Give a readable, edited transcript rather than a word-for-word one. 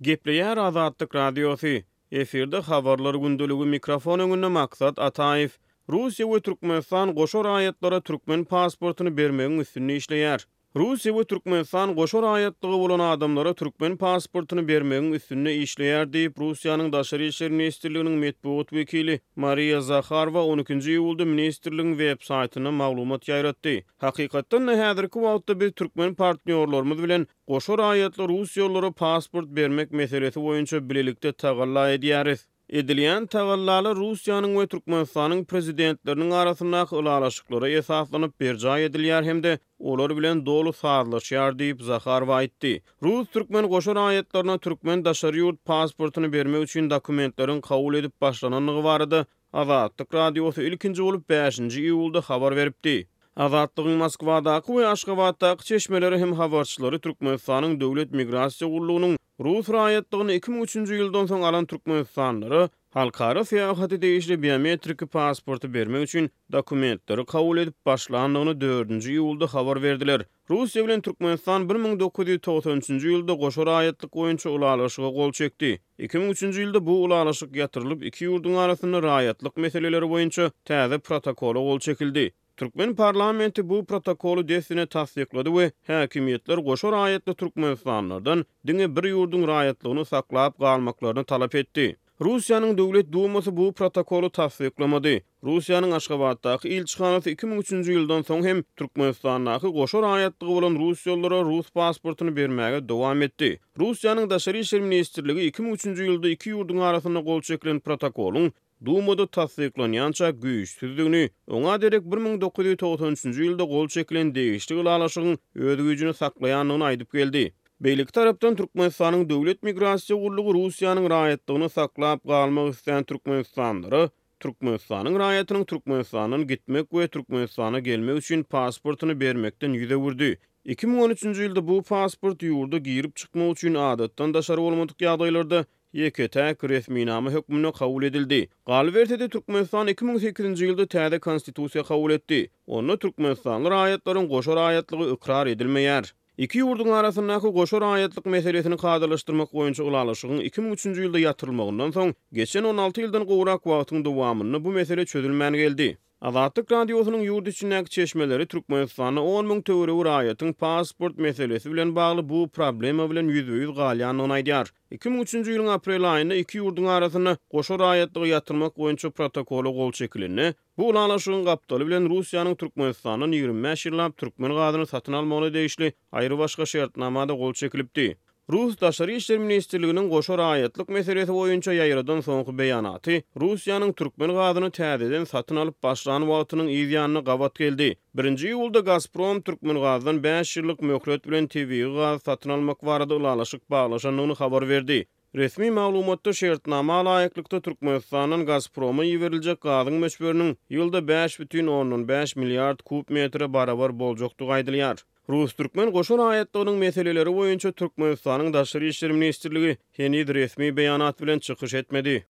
Gepleýär Azatlyk Radiosy, Efirde Habarlar gündeligi mikrofon öňünde Maksat Ataýew. Russiýa we Türkmenistan goşa raýatlara türkmen pasportyny bermegiň üstünde işleýär. Russiýa we Türkmenistan goşa raýatlygy bolan adamlara türkmen pasportyny bermegiň üstünde işleýär diýip, Russiýanyň Daşary işler ministrliginiň metbugat wekili Mariýa Zaharowa on ikinji iýulda ministrligiň web saýtynda maglumat ýaýratdy. Hakykatdan-da, häzirki wagtda biz türkmen partnýorlarymyz bilen Goşa raýatly russiýalylara pasport bermek meselesi boýunça bilelikde tagalla edýäris. Edilýän tagallalar Russiýanyň we Türkmenistanyň Prezidentleriniň arasyndaky ylalaşyklara esaslanyp berjaý edilýär hem-de olar bilen doly sazlaşýar diýip, Zaharowa aýtdy. Rus-türkmen goşa raýatlaryna türkmen daşary ýurt pasportyny bermek üçin dokumentleriň kabul edip başlanandygy barada Azatlyk Radiosy ilkinji bolup bäşinji iýulda habar beripdi. Azatlygyň Moskwadaky we Aşgabatdaky çeşmeleri hem habarçylary Türkmenistanyň Döwlet migrasiýa gullugynyň rus raýatlygyny 2003-nji ýyldan soň alan türkmenistanlylara halkara syýahaty degişli biometriki pasporty bermek üçin dokumentleri kabul edip başlandygyny dördünji iýulda habar berdiler. Russiýa bilen Türkmenistan 1993-nji ýylda goşa raýatlyk boýunça ylalaşyga gol çekdi. 2003-nji ýylda bu ylalaşyk ýatyrylyp, iki ýurduň arasynda raýatlyk meseleleri boýunça täze protokola gol çekildi. Türkmen parlamenti bu protokoly dessine tassyklady we häkimiýetler goşa raýatly türkmenistanlylardan diňe bir ýurduň raýatlygyny saklap galmaklaryny talap etdi. Russiýanyň Döwlet Dumasy bu protokoly tassyklamady. Russiýanyň Aşgabatdaky ilçihanasy 2003-nji ýyldan soň hem Türkmenistandaky goşa raýatlygy bolan russiýalylara rus pasportyny bermäge dowam etdi. Russiýanyň Daşary işler ministrligi 2003-nji ýylda iki ýurduň arasynda gol çekilen protokolyň Dumada tassyklanýança güýçsüzdigini, oňa derek 1993-nji ýylda gol çekilen degişli ylalaşygyň öz güýjüni saklaýandygyny aýdyp geldi. Beýleki tarapdan, Türkmenistanyň Döwlet migrasiýa gullugy Russiýanyň raýatlygyny saklap galmak islän türkmenistanlylara Türkmenistanyň raýatynyň Türkmenistandan gitmek we Türkmenistana gelmek üçin pasportyny bermekden ýüz öwürdi. 2013-nji ýylda bu pasport ýurda girip-çykmak üçin adatdan daşary bolmadyk ýagdaýlarda ýeke-täk resminama hökmünde kabul edildi. Galyberse-de, Türkmenistan 2008-nji ýylda täze Konstitusiýa kabul etdi. Onda türkmenistanly raýatlaryň goşa raýatlygy ykrar edilmeýär. Iki ýurduň arasyndaky goşa raýatlyk meselesini kadalaşdyrmak boýunça ylalaşygyň 2003-nji ýylda ýatyrylmagyndan soň, geçen 16 ýyldan gowrak wagtyň dowamynda bu mesele çözülmän geldi. Azatlyk Radiosynyň ýurt içindäki çeşmeleri Türkmenistanda on müň töweregi raýatyň pasport meselesi bilen bagly bu problema bilen ýüzbe-ýüz galýandygyny aýdýar. 2003-nji ýylyň aprel aýynda iki ýurduň arasynda goşa raýatlygy ýatyrmak boýunça protokola gol çekilende, Bu ylalaşygyň gapdaly bilen Russiýanyň Türkmenistandan 25 ýyllap türkmen gazyny satyn almagyna degişli aýrybaşga şertnama-da gol çekilipdi. Rus Daşary işler ministrliginiň goşa raýatlyk meselesi boýunça ýaýradan soňky beýanaty Russiýanyň türkmen gazyny täzeden satyn alyp başlan wagtynyň yz ýanyna gabat geldi. Birinji iýulda Gazprom Türkmengazdan bäş ýyllyk möhlet bilen tebigy gazy satyn almak barada ylalaşyk baglaşandygyny habar berdi. Resmi maglumatda şertnama laýyklykda Türkmenistandan Gazproma iberiljek gazyň möçberiniň ýylda 5,5 milliard kub metre barabar boljakdygy aýdylýar. Rus-türkmen goşa raýatlygynyň meseleleri boýunça Türkmenistanyň Daşary işler ministrligi heniz resmi beýanat bilen çykyş etmedi.